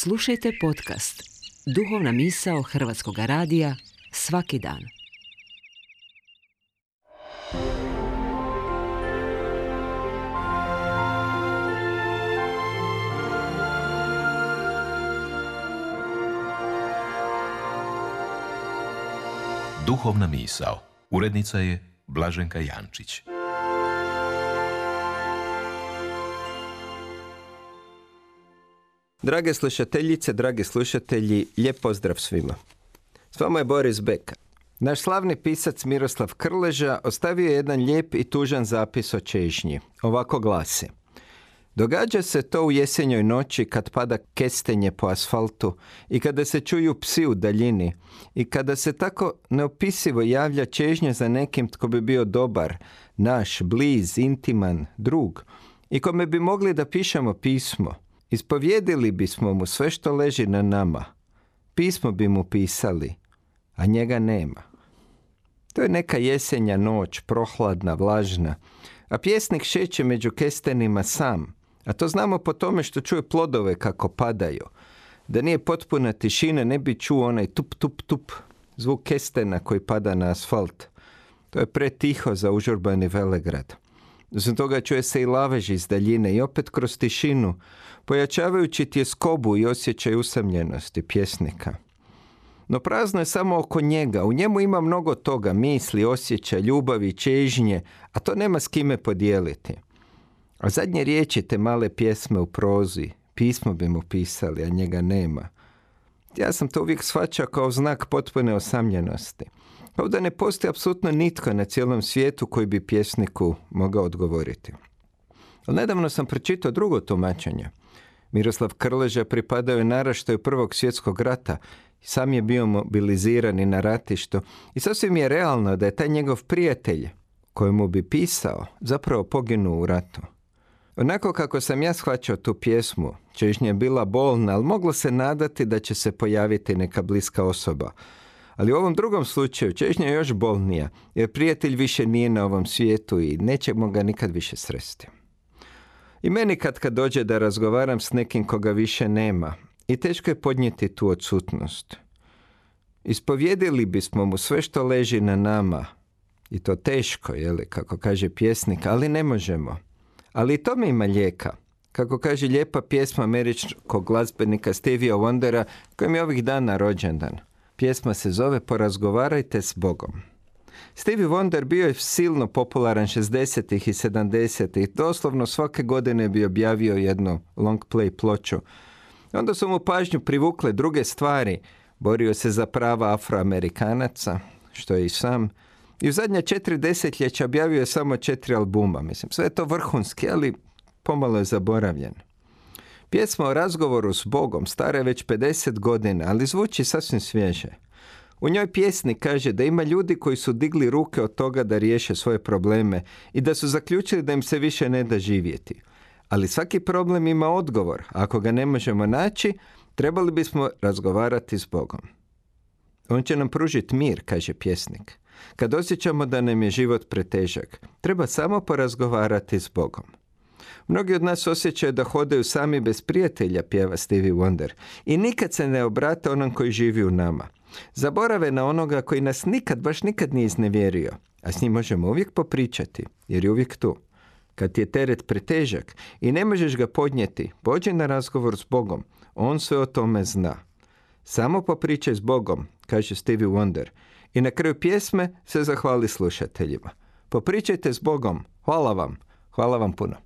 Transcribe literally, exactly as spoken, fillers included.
Slušajte podcast Duhovna misao Hrvatskog radija svaki dan. Duhovna misao. Urednica je Blaženka Jančić. Drage slušateljice, dragi slušatelji, lijep pozdrav svima. S vama je Boris Beka. Naš slavni pisac Miroslav Krleža ostavio je jedan lijep i tužan zapis o čežnji. Ovako glasi: događa se to u jesenjoj noći kad pada kestenje po asfaltu i kada se čuju psi u daljini i kada se tako neopisivo javlja čežnja za nekim tko bi bio dobar, naš, bliz, intiman, drug i kome bi mogli da pišemo pismo. Ispovjedili bismo mu sve što leži na nama. Pismo bi mu pisali, a njega nema. To je neka jesenja noć, prohladna, vlažna, a pjesnik šeće među kestenima sam, a to znamo po tome što čuje plodove kako padaju. Da nije potpuna tišina, ne bi čuo onaj tup, tup, tup, zvuk kestena koji pada na asfalt. To je pretiho za užurbani velegrad. Zbog toga čuje se i lavež iz daljine i opet kroz tišinu, pojačavajući tjeskobu i osjećaj usamljenosti pjesnika. No prazno je samo oko njega, u njemu ima mnogo toga, misli, osjećaja, ljubavi, čežnje, a to nema s kime podijeliti. A zadnje riječi te male pjesme u prozi, pismo bi mu pisali, a njega nema. Ja sam to uvijek shvaćao kao znak potpune osamljenosti. Kao da ne postoji apsolutno nitko na cijelom svijetu koji bi pjesniku mogao odgovoriti. Ali nedavno sam pročitao drugo tumačenje. Miroslav Krleža pripadao je naraštaju Prvog svjetskog rata, sam je bio mobiliziran i na ratištu i sasvim je realno da je taj njegov prijatelj, kojemu bi pisao, zapravo poginuo u ratu. Onako kako sam ja shvaćao tu pjesmu, čežnja je bila bolna, ali moglo se nadati da će se pojaviti neka bliska osoba. Ali u ovom drugom slučaju čežnja je još bolnija, jer prijatelj više nije na ovom svijetu i nećemo ga nikad više sresti. I meni kad kad dođe da razgovaram s nekim koga više nema, i teško je podnijeti tu odsutnost. Ispovjedili bismo mu sve što leži na nama, i to teško, jeli, kako kaže pjesnik, ali ne možemo. Ali i tome ima lijeka, kako kaže lijepa pjesma američkog glazbenika Stevie Wondera, kojem je ovih dana rođendan. Pjesma se zove Porazgovarajte s Bogom. Stevie Wonder bio je silno popularan šezdesetih i sedamdesetih. Doslovno svake godine bi objavio jednu long play ploču. Onda su mu pažnju privukle druge stvari. Borio se za prava Afroamerikanaca, što je i sam. I u zadnja četiri desetljeća objavio je samo četiri albuma. Mislim, sve je to vrhunski, ali pomalo je zaboravljen. Pjesma o razgovoru s Bogom stara je već pedeset godina, ali zvuči sasvim svježe. U njoj pjesnik kaže da ima ljudi koji su digli ruke od toga da riješe svoje probleme i da su zaključili da im se više ne da živjeti. Ali svaki problem ima odgovor. Ako ga ne možemo naći, trebali bismo razgovarati s Bogom. On će nam pružiti mir, kaže pjesnik. Kad osjećamo da nam je život pretežak, treba samo porazgovarati s Bogom. Mnogi od nas osjećaju da hodaju sami bez prijatelja, pjeva Stevie Wonder, i nikad se ne obrate onom koji živi u nama. Zaborave na onoga koji nas nikad, baš nikad nije iznevjerio, a s njim možemo uvijek popričati, jer je uvijek tu. Kad ti je teret pretežak i ne možeš ga podnijeti, pođi na razgovor s Bogom, on sve o tome zna. Samo popričaj s Bogom, kaže Stevie Wonder, i na kraju pjesme se zahvali slušateljima. Popričajte s Bogom, hvala vam, hvala vam puno.